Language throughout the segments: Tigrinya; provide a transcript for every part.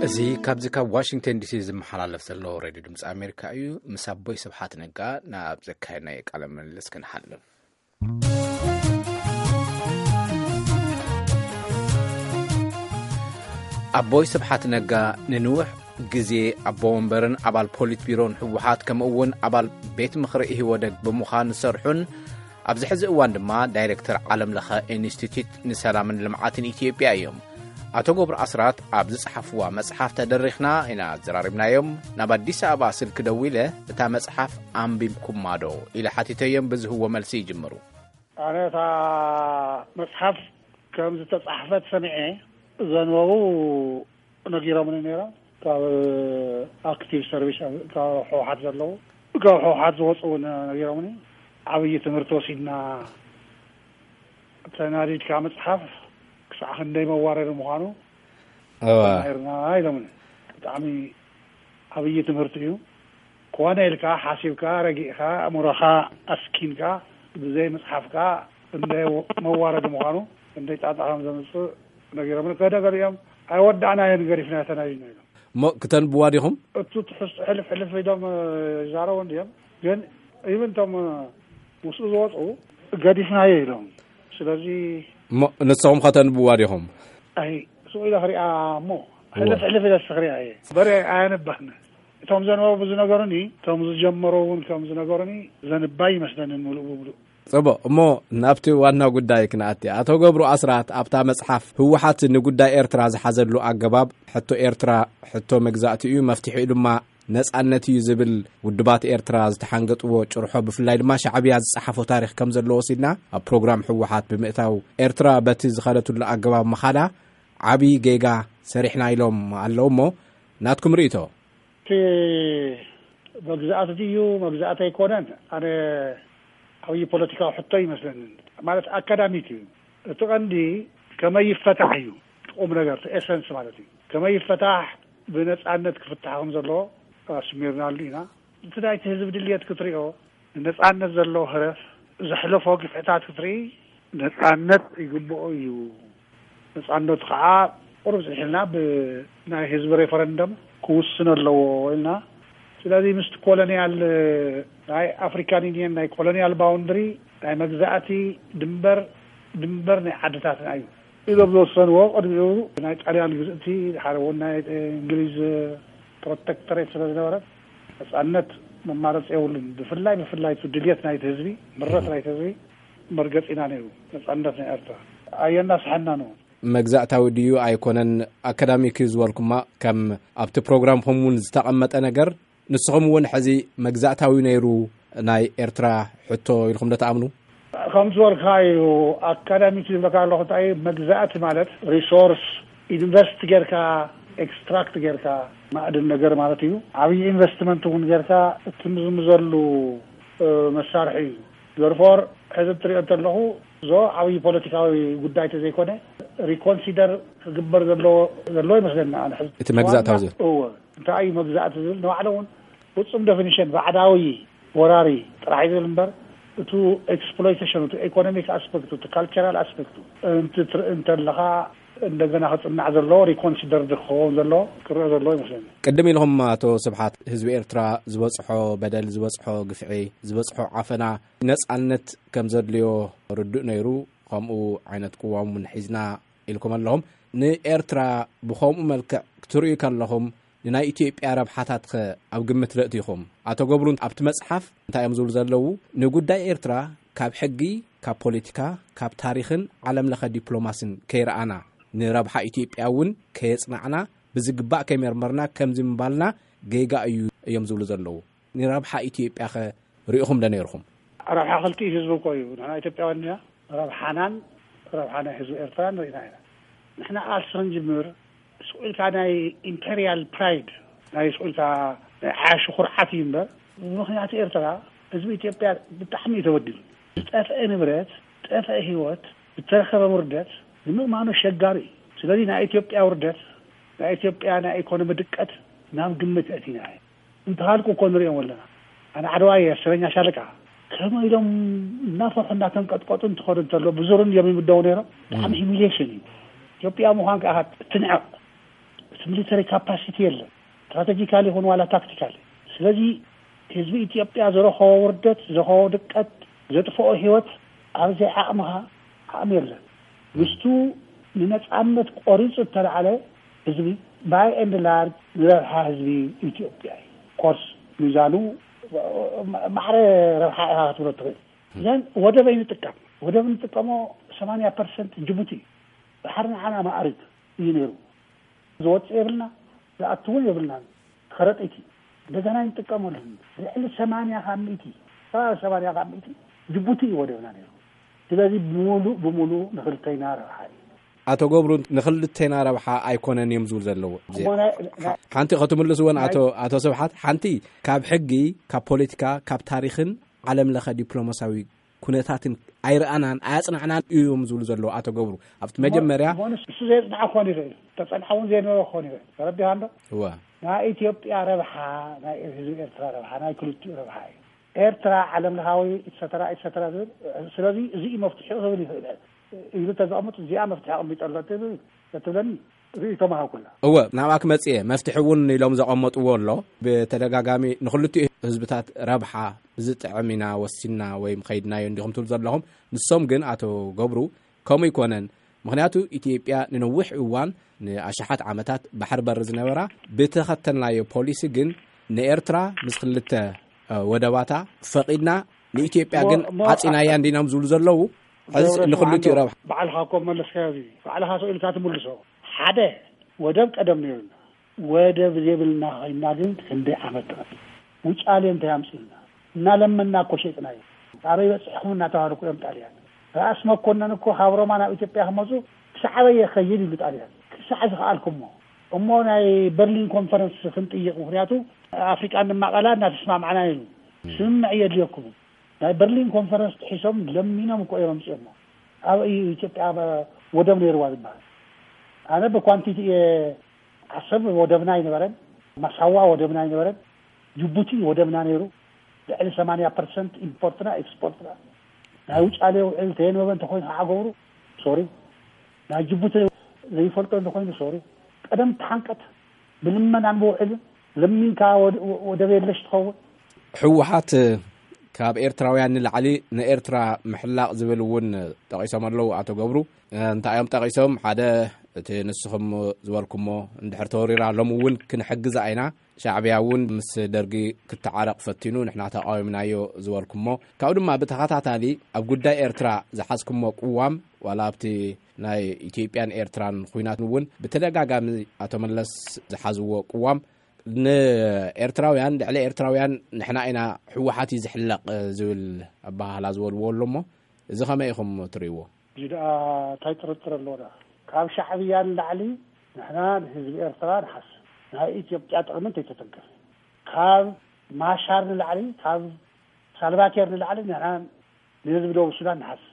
እዚ ካብዚ ካብ ዋሽንግተን ዲሲ ዝመሓላለፍ ዘሎ ሬድዮ ድምፂ ኣሜሪካ እዩ። ምስ ኣቦይ ስብሓት ነጋ ናብ ዘካየድናዮ ቃለ ምልልስ ክንሓልፍ። ኣቦይ ስብሓት ነጋ ንንውሕ ግዜ ኣቦ ወንበርን ኣባል ፖሊት ቢሮን ህወሓት፣ ከምኡ እውን ኣባል ቤት ምኽሪ ኢህወደግ ብምዃን ዝሰርሑን ኣብዚ ሕዚ እዋን ድማ ዳይሬክተር ዓለም ለኸ ኢንስቲትዩት ንሰላምን ልምዓትን ኢትዮጵያ እዮም። ኣቶ ገብሩ ኣስራት ኣብ ዝጸሓፍዋ መጽሓፍ ተደሪኽና ኢና ኣዘራሪብናዮም። ናብ ኣዲስ ኣበባ ስልኪ ደዊለ፣ "እታ መጽሓፍ ኣንቢብኩማ ዶ?" ኢለ ሓቲተዮም፣ ብዝህዎ መልሲ ይጅምሩ። ኣነ እታ መጽሓፍ ከም ዝተጻሕፈት ሰሚዐ፣ ዘንበቡ ነጊሮምኒ ነይሮም። ካብ ኣክቲቭ ሰርቪስ፣ ካብ ህወሓት ዘለዉ፣ ካብ ህወሓት ዝወፁ እውን ነጊሮምኒ። ዓብዪ ትምህርቲ ወሲድና፣ ተናዲድካ ምፅሓፍ ክሳዕ ክንደይ መዋረዲ ምዃኑ እዋ። ተማሂርና ኢሎምኒ። ብጣዕሚ ዓብዪ ትምህርቲ እዩ። ኮነ ኢልካ ሓሲብካ፣ ረጊእካ፣ ኣእምሮኻ ኣስኪንካ ብዘይ ምፅሓፍካ ክንደይ መዋረዲ ምዃኑ፣ ክንደይ ጣጣ ከም ዘምፅእ ነጊሮምኒ። ገደ ገሊኦም፣ "ኣይወዳእናዮን፣ ገዲፍናዮ፣ ተናዲድና" ኢሎም። እሞ ክተንብዋ ዲኹም? እቱ ትሕዝቶ ሕልፍ ሕልፍ ኢሎም፣ እ፣ ይዛረቡ እንድዮም። ግን ኢብን እቶም፣ እ፣ ምስኡ ዝወፁ ገዲፍናዮ ኢሎም። ስለዚ እሞ ንስኹም ከተንብዋ ዲኹም? ኣይ፣ ስቕ ኢለ ክሪኣ እሞ ሕልፍ እወ። ሕልፍ ኢለ ክሪኣ እየ። በረ ኣየንባህን። እቶም ዘንበቡ ዝነገሩኒ፣ እቶም ዝጀመሩ እውን ከም ዝነገሩኒ ዘንባይ ይመስለኒ ምሉእ ብምሉእ። ጽቡቕ፣ እሞ ናብቲ ዋና ጉዳይ ክንኣቲ። ኣቶ ገብሩ ኣስራት ኣብታ መጽሓፍ ህወሓት ንጉዳይ ኤርትራ ዝሓዘሉ ኣገባብ፣ ሕቶ ኤርትራ ሕቶ መግዛእቲ እዩ፣ መፍትሒኡ ድማ ነጻነት እዩ ዝብል፣ ውድባት ኤርትራ ዝተሓንገጥዎ ጭርሖ፣ ብፍላይ ድማ ሻዕብያ ዝጸሓፎ ታሪኽ ከም ዘለዎ ወሲድና፣ ኣብ ፕሮግራም ህወሓት ብምእታው፣ ኤርትራ በቲ ዝኸደትሉ ኣገባብ ምኻዳ ዓቢ ጌጋ ሰሪሕና ኢሎም ኣለዉ። እሞ ናትኩም ርእይቶ? እቲ መግዛእቲ ድዩ መግዛእቲ ኣይኮነን፣ ኣነ ዓብዪ ፖለቲካዊ ሕቶ ይመስለኒ። ማለት ኣካዳሚክ እዩ። እቲ ቀንዲ ከመይ ይፈታሕ እዩ፣ እቲ ቁም ነገር፣ እቲ ኤሰንስ ማለት እዩ። ከመይ ይፈታሕ፣ ብነጻነት ክፍታሕ ከም ዘለዎ ኣስሚርናሉ ኢና። እቲ ናይቲ ህዝቢ ድልየት ክትሪኦ፣ ንነጻነት ዘለዎ ህረፍ፣ ዘሕለፎ ግፍዕታት ክትርኢ፣ ነጻነት ይግብኦ እዩ። ነጻነቱ ከዓ ቁሩብ ዝሕልና ብናይ ህዝቢ ሬፈረንደም ክውስን ኣለዎ ኢልና። ስለዚ ምስቲ ኮሎኒያል፣ ናይ ኣፍሪካን ዩኒየን ናይ ኮሎኒያል ባውንድሪ፣ ናይ መግዛእቲ ድንበር፣ ድንበር ናይ ዓድታትና እዩ ኢሎም ዝወሰንዎ፣ ቅድሚኡ ናይ ጣልያን ግዝእቲ፣ ሓደ እውን ናይ እንግሊዝ ፕሮቴክተሬት ስለ ዝነበረ፣ ነጻነት መማረፂ የብሉን። ብፍላይ፣ ብፍላይ እቲ ድልየት ናይቲ ህዝቢ፣ ምረት ናይቲ ህዝቢ መርገፂና ነይሩ፣ ነጻነት ናይ ኤርትራ። ኣየናስሐናን እውን። መግዛእታዊ ድዩ ኣይኮነን፣ ኣካዳሚክ እዩ ዝበልኩማ፣ ከም ኣብቲ ፕሮግራምኹም እውን ዝተቐመጠ ነገር፣ ንስኹም እውን ሕዚ መግዛእታዊ ነይሩ ናይ ኤርትራ ሕቶ ኢልኩም ዶ ትኣምኑ? ከም ዝበልካ እዩ፣ ኣካዳሚክ ዝብለካ ኣለኹ። እንታይ እዩ መግዛእቲ ማለት? ሪሶርስ ኢንቨስት ጌርካ፣ ኤክስትራክት ጌርካ፣ ማእድን ነገር ማለት እዩ። ዓብዪ ኢንቨስትመንት እውን ጌርካ እትምዝምዘሉ፣ እ፣ መሳርሒ እዩ። ዘርፎር ሕዚ እትሪኦ እንተለኹ፣ ዞ ዓብዪ ፖለቲካዊ ጉዳይ ተዘይኮነ፣ ሪኮንሲደር ክግበር ዘለዎ፣ ዘለዎ ይመስለኒ። ኣነ ሕዚ እቲ መግዛእታዊ ዋና ዝብል። እወ፣ እንታይ እዩ መግዛእቲ ዝብል ንባዕሉ እውን ፍጹም ዴፊኒሽን ባዕዳዊ ወራሪ ጥራሕ እዩ ዝብል እምበር፣ እቱ ኤክስፕሎይቴሽን፣ እቱ ኢኮኖሚክ ኣስፔክቱ፣ እቱ ካልቸራል ኣስፔክቱ እንትትርኢ እንተለኻ፣ እንደገና ክጽናዕ ዘለዎ፣ ሪኮንሲደርድ ክኸውን ዘለዎ፣ ክረአ ዘለዎ ይመስለኒ። ቅድም ኢልኹም ኣቶ ስብሓት፣ ህዝቢ ኤርትራ ዝበጽሖ በደል፣ ዝበጽሖ ግፍዒ፣ ዝበጽሖ ዓፈና፣ ነጻነት ከም ዘድልዮ ርዱእ ነይሩ። ከምኡ ዓይነት ቅዋም እውን ሒዝና ኢልኩም ኣለኹም። ንኤርትራ ብኸምኡ መልክዕ ክትርእዩ ከለኹም፣ ንናይ ኢትዮጵያ ረብሓታትኸ ኣብ ግምት ለእቲኹም? ኣቶ ገብሩ ኣብቲ መጽሓፍ እንታይ እዮም ዝብሉ ዘለዉ? ንጉዳይ ኤርትራ ካብ ሕጊ፣ ካብ ፖለቲካ፣ ካብ ታሪኽን ዓለም ለኸ ዲፕሎማስን ከይረኣና፣ ንረብሓ ኢትዮጵያ እውን ከየጽናዕና፣ ብዝግባእ ከይመርመርና፣ ከምዚ ምባልና ጌጋ እዩ እዮም ዝብሉ ዘለዉ። ንረብሓ ኢትዮጵያኸ ርኢኹም ዶ ነይርኹም? ረብሓ ክልቲኡ ህዝቢ እኮ እዩ። ንሕና ኢትዮጵያውያን ኢና። ረብሓናን ረብሓ ናይ ህዝቢ ኤርትራን ርኢና ኢና። ንሕና ቃልሲ ክንጅምር፣ ስቕ ኢልካ ናይ ኢምፔሪያል ፕራይድ፣ ናይ ስቕ ኢልካ ናይ ዓያሹ ኩርዓት እዩ እምበር፣ ብምኽንያት ኤርትራ፣ ህዝቢ ኢትዮጵያ ብጣዕሚ እዩ ተበዲሉ። ዝጠፍአ ንብረት፣ ዝጠፍአ ህይወት፣ ዝተረኸበ ውርደት ንምእማኑ ኣሸጋሪ እዩ። ስለዚ ናይ ኢትዮጵያ ውርደት፣ ናይ ኢትዮጵያ ናይ ኢኮኖሚ ድቀት ናብ ግምት ኣእቲና እዩ። እንተሃልኩ እኮ ንሪኦም ኣለና። ኣነ ዓድዋ እየ፣ ኣስረኛ ሻለቃ። ከመይ ኢሎም እናፈርሑ እናተንቀጥቀጡ እንትኸዱ እንተሎ ብዙር እንዲዮም ይምደቡ ነይሮም። ብጣዕሚ ሂሚሊየሽን እዩ። ኢትዮጵያ ምዃን ከዓ ትንዕቕ። እቲ እቲ ሚሊተሪ ካፓሲቲ የለን፣ ስትራቴጂካሊ ይኹን ዋላ ታክቲካሊ። ስለዚ ህዝቢ ኢትዮጵያ ዝረኸቦ ውርደት፣ ዝረኸቦ ድቀት፣ ዘጥፍኦ ህይወት፣ ኣብዘይ ዓቕምኻ ዓቕሚ የለን። ምስቱ ንነጻነት ቆሪጹ እተላዕለ ህዝቢ ባይ ኤንድ ላርጅ ንረብሓ ህዝቢ ኢትዮጵያ እዩ። ኮርስ ሚዛኑ ማዕረ ረብሓ ኢኻ ክትብሎ ትኽእል። ዘን ወደብ ኣይንጥቀም። ወደብ ንጥቀሞ ሰማንያ ፐርሰንት ጅቡቲ እዩ። ባሕሪ ንዓና ማዕሪት እዩ ነይሩ። ዝወፅእ የብልና፣ ዝኣቱ እውን የብልናን። ከረጢት እዩ። እንደገና ኣይንጥቀመሉን። ልዕሊ ሰማንያ ካብ ሚእቲ፣ ከባቢ ሰማንያ ካብ ሚእቲ ጅቡቲ እዩ ወደብና ነይሩ። ስለዚ ብምሉእ ብምሉእ ንክልተይና ረብሓ እዩ። ኣቶ ገብሩ፣ ንክልተይና ረብሓ ኣይኮነን እዮም ዝብሉ ዘለዉ። እሞ ናይ- ናይ- ሓንቲ ከትምልስዎን ናይ- ኣቶ ኣቶ ስብሓት፣ ሓንቲ ካብ ሕጊ፣ ካብ ፖለቲካ፣ ካብ ታሪኽን ዓለም ለኸ ዲፕሎማሲያዊ ኩነታትን ኣይረኣናን ኣያጽናዕናን እዮም ዝብሉ ዘለዉ ኣቶ ገብሩ። ኣብቲ መጀመርያ እሞ ንሱ ዘየጽንዓ ክኾን ይኽእል፣ ተጸንሓ እውን ዘየነበረ ክኾን ይኽእል። ተረዲኻ እንዶ? እወ። ናይ ኢትዮጵያ ረብሓ፣ ናይ ህዝቢ ኤርትራ ረብሓ፣ ናይ ክልቲኡ ረብሓ እዩ። ኤርትራ ዓለም ለኻዊ ኢትሰተራ ኢትሰተራ ዝብል። ስለዚ እዚ እዩ መፍትሒኡ ክብል ይኽእል ኢሉ ተዘቐምጥ፣ እዚኣ መፍትሒ ኣቐሚጠሎ ትብል ተትብለኒ ርእይቶ ምሃብኩላ። እወ፣ ናብኣ ክመጽእ እየ። መፍትሒ እውን ኢሎም ዘቐመጥዎ ኣሎ። ብተደጋጋሚ ንክልቲኡ ህዝብታት ረብሓ ብዝጥዕም ኢና ወሲንና ወይ ከይድናዮ እንዲኹም ትብሉ ዘለኹም። ንሶም ግን ኣቶ ገብሩ ከምኡ ኣይኮነን። ምኽንያቱ ኢትዮጵያ ንነዊሕ እዋን ንኣሽሓት ዓመታት ባሕሪ በር ዝነበራ ብተኸተልናዮ ፖሊሲ ግን ንኤርትራ ምስ ክልተ እ፣ ወደባታ ፈቒድና ንኢትዮጵያ ግን እሞ- እሞ- ዓጺናያ እንዲኖም ዝብሉ ዘለዉ። ሕዚ ገብረ ንክልቲኡ ስብሓት ረብሓ። ባዕልኻ እኮ መለስካዮ፣ እዚ ባዕልኻ ስኢልካ ትምልሶ። ሓደ ወደብ ቀደም ነይሩና። ወደብ ዘይብልና ኮይና ግን ክንደይ ዓመት ጥራይ። ውጫሌ እንታይ ኣምፅእልና? እናለመና እኮ ሸጥናዮ። ኣበይ በፂሕኩም እናተባህሉ እኮ እዮም ጣልያን። ራእሲ መኮነን እኮ ካብ ሮማ ናብ ኢትዮጵያ ክመፁ ክሳዕ ኣበይ የኸይድ ይብሉ ጣልያን። ክሳዕ ዝኸኣልኩሞ። እሞ ናይ በርሊን ኮንፈረንስ ክንጥይቕ፣ ምኽንያቱ ኣፍሪቃ ንማቐላ እናተስማማዕና ኢሉ። ስምምዕ የድልየኩም። ናይ በርሊን ኮንፈረንስ ጥሒሶም ለሚኖም እኮ እዮም ኣምፅኦሞ። ኣብ እዩ ኢትዮጵያ ወደብ ነይርዋ ዝበሃል? ኣነ ብኳንቲቲ እየ ዓሰብ ወደብና ኣይነበረን፣ ማሳዋ ወደብና ኣይነበረን፣ ጅቡቲ ወደብና ነይሩ። ልዕሊ ሰማንያ ፐርሰንት ኢምፖርትና ኤክስፖርትና። ናይ ውጫሌ ውዕል ተየንበበ እንተኮይኑ ከዓ ገብሩ ሶሪ፣ ናይ ጅቡቲ ዘይፈልጦ እንተኮይኑ ሶሪ። ቀደም ተሓንቀት ብልመናን ብውዕልን ለሚንካ ወደ- ወደብ የለሽ ትኸውን። ህወሓት ካብ ኤርትራውያን ንላዕሊ ንኤርትራ ምሕላቕ ዝብል እውን ጠቒሶም ኣለዉ ኣቶ ገብሩ። እንታይ እዮም ጠቒሶም? ሓደ፣ እቲ ንስኹም ዝበልኩሞ፣ እንድሕር ተወሪራ ሎም እውን ክንሕግዛ ኢና። ሻዕብያ እውን ምስ ደርጊ ክተዓረቕ ፈቲኑ፣ ንሕና ተቓዊምናዮ ዝበልኩሞ። ካብኡ ድማ ብተኸታታሊ ኣብ ጉዳይ ኤርትራ ዝሓዝኩሞ ቅዋም፣ ዋላ ኣብቲ ናይ ኢትዮጵያን ኤርትራን ኹናት እውን ብተደጋጋሚ ኣቶ መለስ ዝሓዝዎ ቅዋም፣ ንኤርትራውያን፣ ልዕሊ ኤርትራውያን ንሕና ኢና፣ ህወሓት እዩ ዝሕለቕ ዝብል ኣበሃህላ ዝበልዎ ኣሎ እሞ፣ እዚ ከመይ ኢኹም ትርእይዎ? እዚ ደኣ እንታይ ጥርጥር ኣለዎ ደኣ? ካብ ሻዕብያ ንላዕሊ ንሕና ንህዝቢ ኤርትራ ንሓስብ። ናይ ኢትዮጵያ ጥቕሚ እንተይተተንከፈ። ካብ ማሻር ንላዕሊ፣ ካብ ሳልቫኪር ንላዕሊ ንሕና ንህዝቢ ደቡብ ሱዳን ንሓስብ።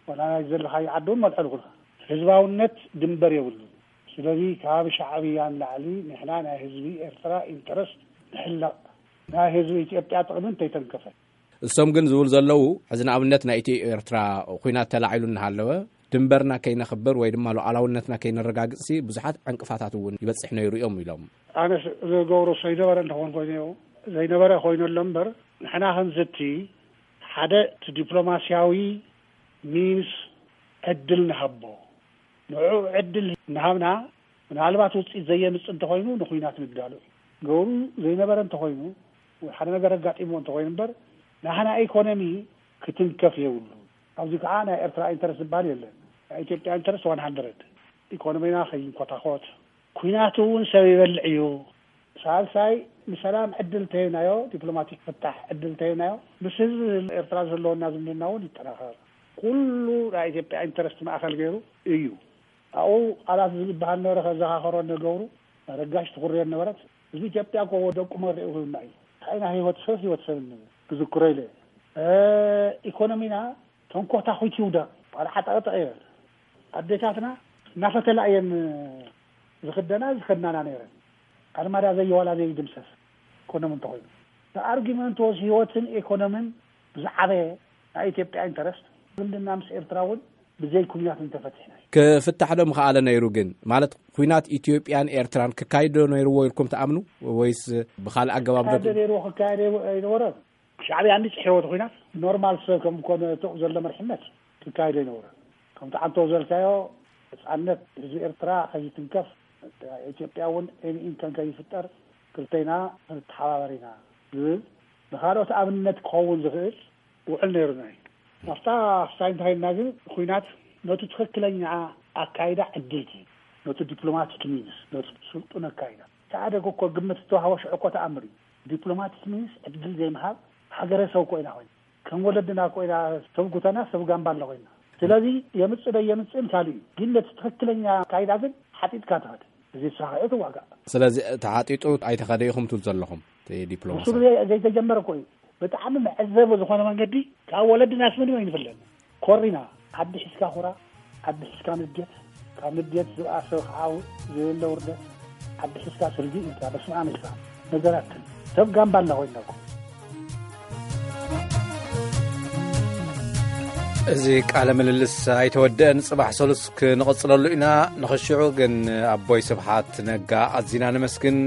ዋላ ናይ ዘለኻዮ ዓዲ እውን መልዕልኩልካ። ህዝባውነት ድንበር የብሉን። ስለዚ ካብ ሻዕብያ ንላዕሊ ንሕና ናይ ህዝቢ ኤርትራ ኢንተረስት ንሕለቕ። ናይ ህዝቢ ኢትዮጵያ ጥቕሚ እንተይተንከፈ። እሶም ግን ዝብሉ ዘለዉ፣ ሕዚ ንኣብነት ናይ ኢትዮ ኤርትራ ኹናት ተላዒሉ እናሃለወ፣ ድንበርና ከይነኽብር ወይ ድማ ሉዓላውነትና ከይነረጋግጽሲ ብዙሓት ዕንቅፋታት እውን ይበጽሕ ነይሩ እዮም ኢሎም። ኣነስ ዝገብሮ ዘይነበረ እንተኾን ኮይኑ፣ ዘይነበረ ኮይኑ ኣሎ እምበር፣ ንሕና ክንዝቲ ሓደ እቲ ዲፕሎማስያዊ ሚንስ ዕድል ንሃቦ። ንዕኡ ዕድል እናሃብና፣ ምናልባት ውፅኢት ዘየምፅእ እንተኾይኑ ንኹናት ንዳሎ እዩ። ገብሩ ዘይነበረ እንተኾይኑ፣ ወይ ሓደ ነገር ኣጋጢምዎ እንተኾይኑ እምበር፣ ናህና ኢኮኖሚ ክትንከፍ የብሉ። ኣብዚ ከዓ ናይ ኤርትራ ኢንተረስት ዝበሃል የለን። ናይ ኢትዮጵያ ኢንተረስት ዋን ሃንድረድ። ኢኮኖሚና ከይንኮታኮት፣ ኩናት እውን ሰብ ይበልዕ እዩ። ሳልሳይ፣ ንሰላም ዕድል እንተሂብናዮ፣ ዲፕሎማቲክ ፍታሕ ዕድል እንተሂብናዮ፣ ምስ ህዝቢ ኤርትራ ዘለወና ዝምድና እውን ይጠናኸር። ኩሉ ናይ ኢትዮጵያ ኢንተረስት ማእኸል ገይሩ እዩ። ኣብኡ ቃላት ዝበሃል ነበረ፣ ከዘኻኸሮ ንገብሩ፣ ረጋሽ ትኹርዮ ነበረት። ህዝቢ ኢትዮጵያ እኮ ደቁ መሪዑ ክብልና እዩ። እንታይ ኢና ህይወት ሰብ፣ ህይወት ሰብ እንብል? ክዝክሮ ኢለ። እ፣ ኢኮኖሚና ተንኮታኹት ይውደቕ፣ ዋላ ዓጠቕጠቕ ይበል። ኣዴታትና እናፈተላ እየን ዝኽደና፣ ዝኸድናና ነይረን። ኣርማዳ ዘየዋላ ዘይድምሰስ ኢኮኖሚ እንተኾይኑ። The argument was ህይወትን ኢኮኖምን ብዝዓበየ ናይ ኢትዮጵያ ኢንተረስት። ዝምድና ምስ ኤርትራ እውን ብዘይ ኩናት እንተፈቲሕና እዩ። ክፍታሕ ዶ ምኽኣለ ነይሩ? ግን ማለት ኩናት ኢትዮጵያን ኤርትራን ክካይድ ዶ ነይርዎ ኢልኩም ትኣምኑ? ወይስ ብኻልእ ኣገባብ ዶ? ክካየድ ነይርዎ ክካየድ ኣይነበረን። ሻዕብያ እንዲ ጽሒዎ እቲ ኩናት ኖርማል ሰብ ከም ኮነ ተኡ ዘሎ መርሕነት ክካየድ ኣይነበረን። ከምቲ ዓንቶ ዘልካዮ ነጻነት ህዝቢ ኤርትራ ከይትንከፍ፣ ኢትዮጵያ እውን ኤን ኢንከን ከይፍጠር ክልተና ክንተሓባበር ኢና ዝብል ንኻልኦት ኣብነት ክኸውን ዝኽእል ውዕል ነይሩና እዩ። ናብታ ክሳይ እንተኸይድና ግን ኩናት ነቲ ትኽክለኛ ኣካይዳ ዕድል ትህብ። ነቲ ዲፕሎማቲክ ሚንስ፣ ነቲ ስልጡን ኣካይዳ። ተኣደግ እኮ ግምት ዝተዋህቦ ሽዑ እኮ ተኣምር እዩ። ዲፕሎማቲክ ሚንስ ዕድል ዘይምሃብ ሃገረሰብ ኮይና ኮይና ከም ወለድና ኮይና ሰብ ጉተና ሰብ ጋምባላ ኮይና። ስለዚ የምጽእ ዶ የምጽእን ካልእ እዩ። ግን ነቲ ትኽክለኛ ኣካይዳ ግን ሓጢጥካ ትኸድ። እዚ ሳኽዒ ትዋጋእ። ስለዚ ተሓጢጡ ኣይተኸደ ኢኹም ትብሉ ዘለኹም እቲ ዲፕሎማሲ? ምስሉ ዘይ- ዘይተጀመረ እኮ እዩ። ብጣዕሚ መዕዘቢ ዝኾነ መንገዲ ካብ ወለድናስ ምንም ኣይንፍለን። ኮሪና ዓዲ ሒዝካ ኩራ፣ ዓዲ ሒዝካ ንዴት፣ ካብ ንዴት ዝብኣሰ ከዓ ዘየለ ውርደት፣ ዓዲ ሒዝካ ስርጊ ኢልካ በስመ ኣብ ኢልካ ነገራት ሰብ ጋምባላ ኮይንና እኮ። እዚ ቃለ ምልልስ ኣይተወደአን፣ ጽባሕ ሰሉስ ክንቕጽለሉ ኢና። ንኽሽዑ ግን ኣቦይ ስብሓት ነጋ ኣዚና ነመስግን።